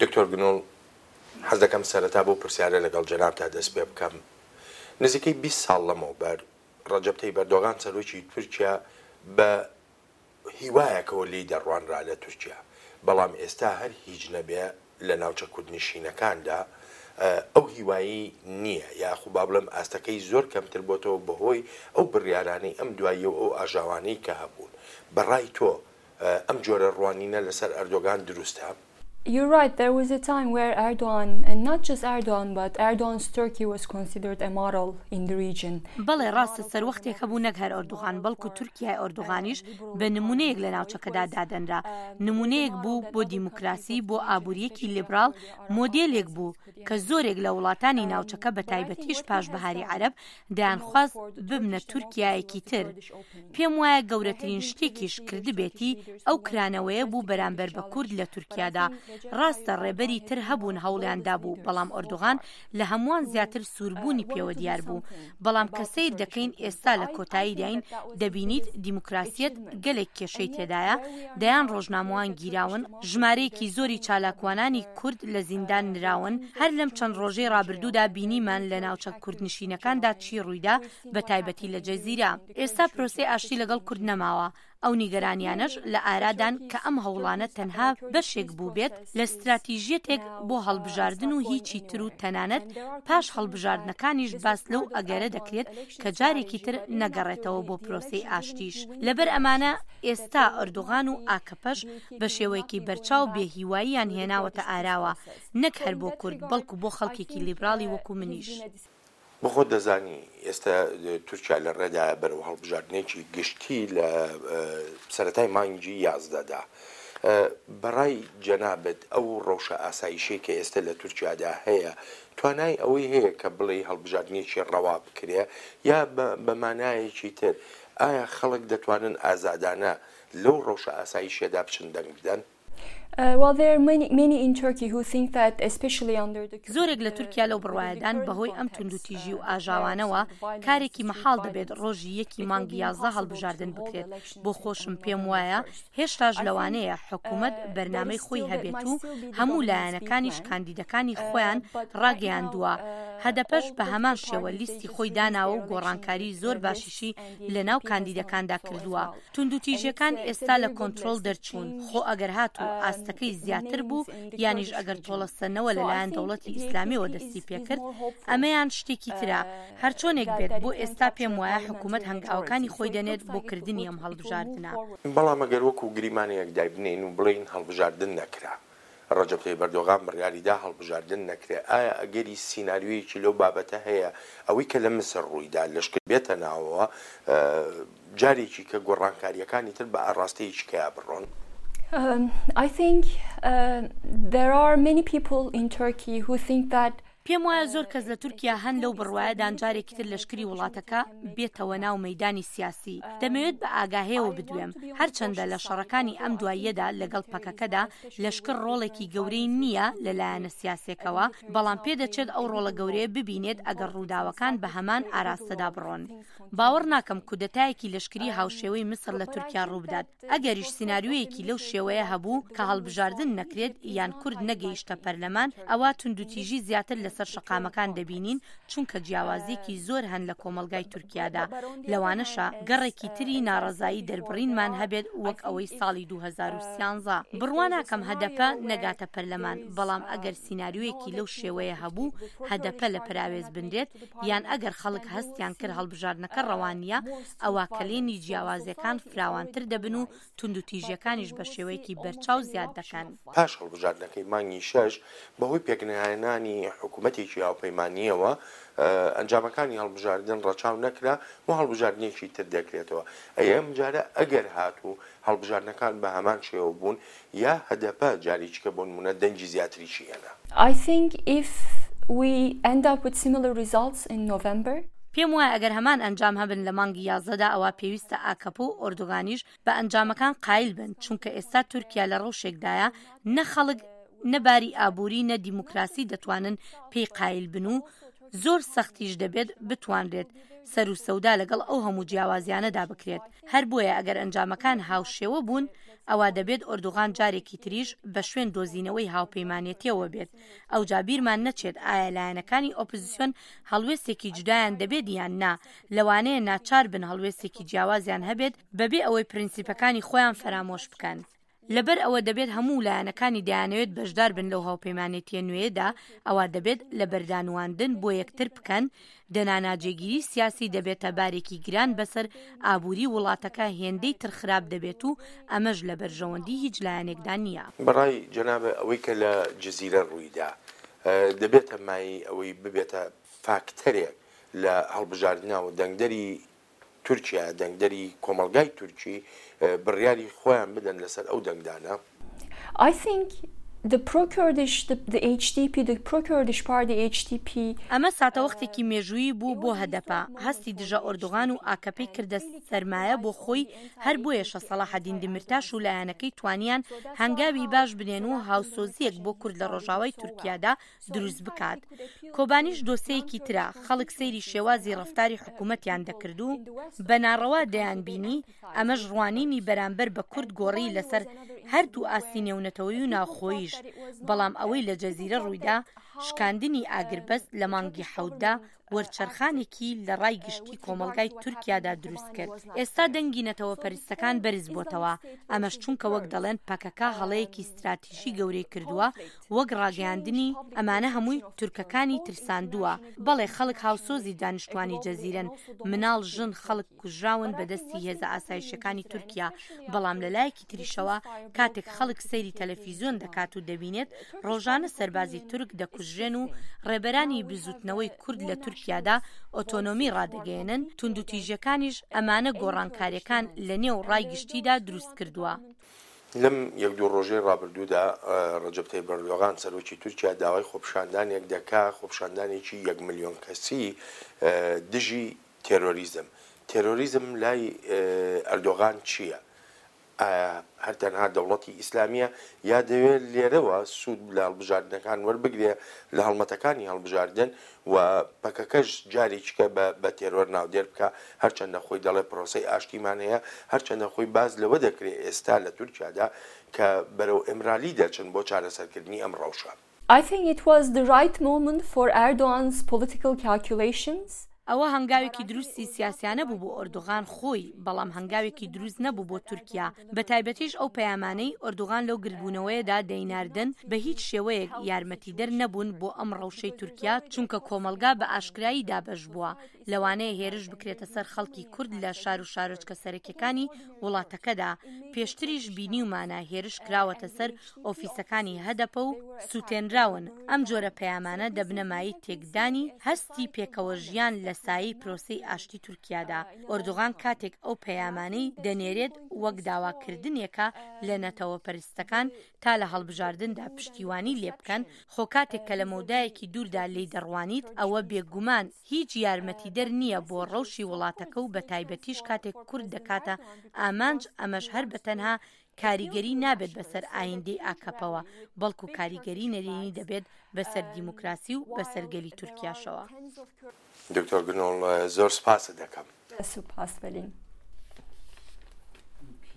دکتۆر گنوڵ، حەز دەکەم سەرەتا بەو پرسیارە لەگەڵ جەنابتا دەست پێ بکەم. نزیکەی 20 ساڵ لەمەوبەر ڕەجەب تەیب ئەردۆغان سەرۆکی تورکیا بە هیوایەکەوە لێی دەڕوانرا لە تورکیا، بەڵام ئێستا هەر هیچ نەبێ لە ناوچە کوردنشینەکاندا ئەو هیوایەی نییە یاخو با بڵێم ئاستەکەی زۆر کەمتر بۆتەوە بەهۆی ئەو بڕیارانەی ئەم دواییە و ئەو ئاژاوانەی کە هەبوون. بە ڕای تۆ ئەم جۆرە ڕوانینە لەسەر ئەردۆگان دروستە؟ You're right, there was a time where Erdogan, and not just Erdogan, but Erdogan's Turkey was considered a model in the region. بەڵێ ڕاستە سەروەختێک هەبوو نەک هەر ئەردوغان بەڵکو تورکیای ئەردوغانیش بە نمونەیەک لە ناوچەکەدا دادەنرا، نمونەیەک بوو بۆ دیموکراسی، بۆ ئابوورییەکی لیبراڵ، مۆدێلێک بوو کە زۆرێک لە وڵاتانی ناوچەکە بەتایبەتیش پاش بەهاری عەرەب دەیانخواست ببنە تورکیایەکی تر. پێم وایە گەورەترین شتێکیش کردبێتی ئەو کرانەوەیە بوو بەرامبەر بە کورد لە تورکیادا. ڕاستە ڕێبەری تر هەبوون هەوڵیان دابوو بەڵام ئۆردوغان لە هەمووان زیاتر سووربوونی پێوە دیار بوو. بەڵام کە سەیر دەکەین ئێستا لە کۆتاییداین دەبینیت دیموکراسیەت گەلێک کێشەی تێدایە، دەیان ڕۆژنامەوان گیراون، ژمارەیەکی زۆری چالاکوانانی کورد لە زیندان نراون، هەر لەم چەند ڕۆژەی ڕابردوودا بینیمان لە ناوچە کوردنشینەکاندا چی ڕوویدا بە تایبەتی لە جەزیرە. ئێستا پرۆسەی ئاشتی لەگەڵ کورد نەماوە، ئەو نیگەرانیانەش لە ئارادان کە ئەم هەوڵانە تەنها بەشێک بووبێت لە ستراتیژیەتێک بۆ هەڵبژاردن و هیچی تر و تەنانەت پاش هەڵبژاردنەکانیش باس لەو ئەگەرە دەکرێت کە جارێکی تر نەگەڕێتەوە بۆ پرۆسەی ئاشتیش. لەبەر ئەمانە ئێستا ئەردۆغان و ئاکەپەش بە شێوەیەکی بەرچاو بێ هیواییان هێناوەتە ئاراوە نەک هەر بۆ کورد بەڵکو بۆ خەڵکێکی لیبراڵی وەکو منیش. بۆ خۆت دەزانی ئێستا تورکیا لە ڕێدایە بەرەو هەڵبژاردنێکی گشتی لە سەرەتای مانگی یازدەدا. بەڕای جەنابت ئەو ڕەوشە ئاسایشەی کە ئێستا لە تورکیادا هەیە توانای ئەوەی هەیە کە بڵێی هەڵبژاردنێکی ڕەوا بکرێ یا بە مانایەکی تر ئایا خەڵک دەتوانن ئازادانە لەو ڕەوشە ئاسایشیەدا بچن دەنگ بدەن؟ زۆرێک لە تورکیا لەو بڕوایەدان بەهۆی ئەم توندوتیژی و ئاژاوانەوە کارێکی مەحاڵ دەبێت ڕۆژی یەکی مانگی 11 هەڵبژاردن بکرێت، بۆ خۆشم پێم وایە هێشتاش لەوانەیە حکومەت بەرنامەی خۆی هەبێت و هەموو لایەنەکانیش کاندیدەکانی خۆیان ڕاگەیاندووە، هەدەپەش بە هەمان شێوە لیستی خۆی داناوە و گۆڕانکاری زۆر باشیشی لەناو کاندیدەکاندا کردووە. توندوتیژیەکان ئێستا لە کۆنترۆڵ دەرچوون، خۆ ئەگەر هاتوو ئاستەکەی زیاتر بوو یانیش ئەگەر تۆڵەسەندنەوە لەلایەن دەوڵەتی ئیسلامیەوە دەستی پێکرد ئەمەیان شتێکی ترە، هەرچۆنێک بێت بۆ ئێستا پێم وایە حکومەت هەنگاوەکانی خۆی دەنێت بۆ کردنی ئەم هەڵبژاردنە. بەڵام ئەگەر وەکو گریمانەیەک دایبنێین و بڵێین هەڵبژاردن نەکرا، ڕەجەب تەیب ئەردۆغان بڕیاری دا هەڵبژاردن نەکرێ، ئایا ئەگەری سیناریۆیەکی لەو بابەتە هەیە ئەوەی کە لە میسر ڕوویدا لەشکر بێتە ناوەوە جارێکی کە گۆڕانکارییەکانی تر بە ئاڕاستەیەکی کەیا بڕۆن؟ I think there are many people in Turkey who think that پێم وایە زۆر کەس لە تورکیا هەن لەو بڕوایەدان جارێکی تر لەشکری وڵاتەکە بێتەوە ناو مەیدانی سیاسی. دەمەوێت بە ئاگاهێوە بدوێم، هەرچەندە لە شەڕەکانی ئەم دواییەدا لەگەڵ پەکەکەدا لەشکر ڕۆڵێکی گەورەی نییە لە لایەنە سیاسێکەوە، بەڵام پێدەچێت ئەو ڕۆڵە گەورەیە ببینێت ئەگەر ڕووداوەکان بە هەمان ئاراستەدا بڕۆن. باوەڕ ناکەم کودەتایەکی لەشکری هاوشێوەی میسر لە تورکیا ڕووبدات. ئەگەریش سیناریۆیەکی لەو شێوەیە هەبوو کە هەڵبژاردن نەکرێت یان کورد نەگەیشتە پەرلەمان، ئەوا توندوتیژی زیاتر لەسەر شەقامەکان دەبینین، چونکە جیاوازییەکی زۆر هەن لە کۆمەڵگای تورکیادا، لەوانەشە گەڕێکی تری ناڕەزایی دەربڕینمان هەبێت وەک ئەوەی ساڵی 2013. بڕوا ناکەم هەدەپە نەگاتە پەرلەمان، بەڵام ئەگەر سیناریۆیەکی لەو شێوەیە هەبوو هەدەپە لە پەراوێز بنرێت، یان ئەگەر خەڵک هەستیان کرد هەڵبژاردنەکە ڕەوا نییە، ئەوا کەلێنی جیاوازیەکان فراوانتر دەبن و توندوتیژیەکانیش بە شێوەیەکی بەرچاو زیاد دەکەن. پاش هەڵبژاردنەکەی مانگی شەش، بەهۆی پێکنەهێنانی حکومەتێکی هاوپەیمانییەوە، ئەنجامەکانی هەڵبژاردن ڕەچاو نەکرا و هەڵبژاردنێکی تر دەکرێتەوە. ئەی ئەمجارە ئەگەر هاتوو هەڵبژاردنەکان بە هەمان شێوە بوون، یا هەدەپە جارێکیکە بۆ نموونە دەنگی زیاتریشی هێنا. I think if we end up with similar results in November. پێم وایە ئەگەر هەمان ئەنجام هەبن لە مانگی یازدەدا ئەوا پێویستە ئاکەپە و ئۆردوگانیش بە ئەنجامەکان قایل بن چونکە ئێستا تورکیا لە ڕەوشێکدایە نە خەڵک نە باری ئابووری نە دیموکراسی دەتوانن پێی قایل بن و زۆر سەختیش دەبێت بتوانرێت. سەروسەودا لەگەڵ ئەو هەموو جیاوازیانەدا بکرێت. هەر بۆیە ئەگەر ئەنجامەکان هاوشێوە بوون، ئەوا دەبێت ئۆردوغان جارێکی تریش بە شوێن دۆزینەوەی هاوپەیمانێتیەوە بێت. ئەوجا بیرمان نەچێت ئایا لایەنەکانی ئۆپزسیۆن هەڵوێستێکی جودایان دەبێت یان نا، لەوانەیە ناچار بن هەڵوێستێکی جیاوازیان هەبێت بەبێ ئەوەی پرنسیپەکانی خۆیان فەرامۆش بکەن. لەبەر ئەوە دەبێت هەموو لایەنەکانی دەیانەوێت بەشدار بن لەو هاوپەیمانێتیە نوێیەدا، ئەوا دەبێت لەبەردانواندن بۆ یەکتر بکەن، دەنا ناجێگیری سیاسی دەبێتە بارێکی گران بەسەر ئابوری وڵاتەکە هێندەی تر خراپ دەبێت و ئەمەش لە بەرژەوەندی هیچ لایەنێکدا نییە. بەڕای جەنابت ئەوەی کە لە جزیرە ڕوویدا دەبێتە مایەی ئەوەی ببێتە فاکتەرێک لە هەڵبژاردنا و دەنگدەری تورکیا، دەنگدەری کۆمەڵگای تورکی بڕیاری خۆیان بدەن لەسەر ئەو دەنگدانە؟ I think the pro-Kurdish, the, the HDP, the pro-Kurdish party HDP. ئەمە ساتەوەختێکی مێژوویی بوو بۆ هەدەپە، هەستی دژە ئۆردوغان و ئاکەپەی کردە سەرمایە بۆ خۆی، هەر بۆیەشە سەڵاحەدین دمیرتاش و لایەنەکەی توانیان هەنگاوی باش بنێن و هاوسۆزییەک بۆ کورد لە ڕۆژاوای تورکیادا دروست بکات. کۆبانیش دۆسێیەکی ترە، خەڵک سەیری شێوازی ڕەفتاری حکومەتیان دەکرد و بە ناڕەوا دەیانبینی، ئەمەش ڕوانینی بەرامبەر بە کورد گۆڕی لەسەر هەردوو ئاستی نێونەتەوەیی و ناوخۆییش، بەڵام ئەوەی لە جەزیرە ڕوویدا، شکاندنی ئاگربەست لە مانگی حەوتدا وەرچەرخانێکی لە ڕای گشتی کۆمەڵگای تورکیادا دروست کرد. ئێستا دەنگی نەتەوەپەرستەکان بەرز بۆتەوە، ئەمەش چونکە وەک دەڵێن پەکەکە هەڵەیەکی ستراتیژی گەورەی کردووە وەک ڕاگەیاندنی، ئەمانە هەمووی تورکەکانی ترساندووە، بەڵێ خەڵک هاوسۆزی دانیشتوانی جەزیرەن، مناڵ، ژن، خەڵک کوژراون بەدەستی هێزە ئاسایشیەکانی تورکیا، بەڵام لەلایەکی تریشەوە کاتێک خەڵک سەیری تەلەفیزیۆن دەکات و دەبینێت ڕۆژانە سەربازی تورک دەکوژرێن و ڕێبەرانی بزوتنەوەی کورد لە تورکیادا ئۆتۆنۆمی ڕادەگەیەنن، توندوتیژیەکانیش ئەمانە گۆڕانکاریەکان لەنێو ڕای گشتیدا دروستکردووە. لەم یەک دوو ڕۆژەی ڕابردوودا ڕەجەب تەیب ئەردۆغان سەرۆکی تورکیا داوای خۆپیشاندانێک دەکا، خۆپیشاندانێکی یەک ملیۆن کەسی دژی تێرۆریزم. تێرۆریزم لای ئەردۆغان چییە؟ ئایا هەر تەنها دەوڵەتی ئیسلامییە یا دەیەوێ لێرەوە سوود لە هەڵبژاردنەکان وەربگرێ لە هەڵمەتەکانی هەڵبژاردن و پەکەکەش جارێکیکە بە بە تێرۆر ناودێر بکا، هەرچەندە خۆی دەڵێ پرۆسەی ئاشتیمان هەیە، هەرچەندە خۆی باس لەوە دەکرێ ئێستا لە تورکیادا کە بەرەو ئیمرالی دەچن بۆ چارەسەرکردنی ئەم ڕەوشە. I think it was the right moment for Erdogan's political calculations. ئەوە هەنگاوێکی دروستی سیاسیانە بوو بۆ ئۆردوغان خۆی، بەڵام هەنگاوێکی دروست نەبوو بۆ تورکیا، بەتایبەتیش ئەو پەیامانەی ئۆردوغان لەو گردبوونەوەیەدا دەیناردن بە هیچ شێوەیەک یارمەتیدەر نەبوون بۆ ئەم ڕەوشەی تورکیا، چونکە کۆمەڵگا بە ئاشکرایی دابەش بووە، لەوانەیە هێرش بکرێتە سەر خەڵکی کورد لە شار و شارۆچکە سەرەکیەکانی وڵاتەکەدا، پێشتریش بینیومانە هێرش کراوەتە سەر ئۆفیسەکانی هەدەپە و سوتێنراون، ئەم جۆرە پەیامانە دەبنە مایەی تێکدانی هەستی پێکەوە ژیان لە سایەی پرۆسەی ئاشتی تورکیادا، ئۆردوغان کاتێک ئەو پەیامانەی دەنێرێت وەک داواکردنێکە لە نەتەوەپەرستەکان تا لە هەڵبژاردندا پشتیوانی لێبکەن، خۆ کاتێک کە لە مەودایەکی دووردا لێی دەڕوانیت ئەوە بێگومان هیچ یارمەتیدەر نییە بۆ ڕەوشی وڵاتەکە و بەتایبەتیش کاتێک کورد دەکاتە ئامانج ئەمەش هەر بەتەنها کاریگەری نابێت بەسەر ئایندەی ئاکەپەوە بەڵکو کاریگەری نەرێنی دەبێت بەسەر دیموکراسی و بەسەر گەلی تورکیاشەوە. دکتۆر گنۆڵ زۆر سوپاست دەکەم. سوپاس بەلین.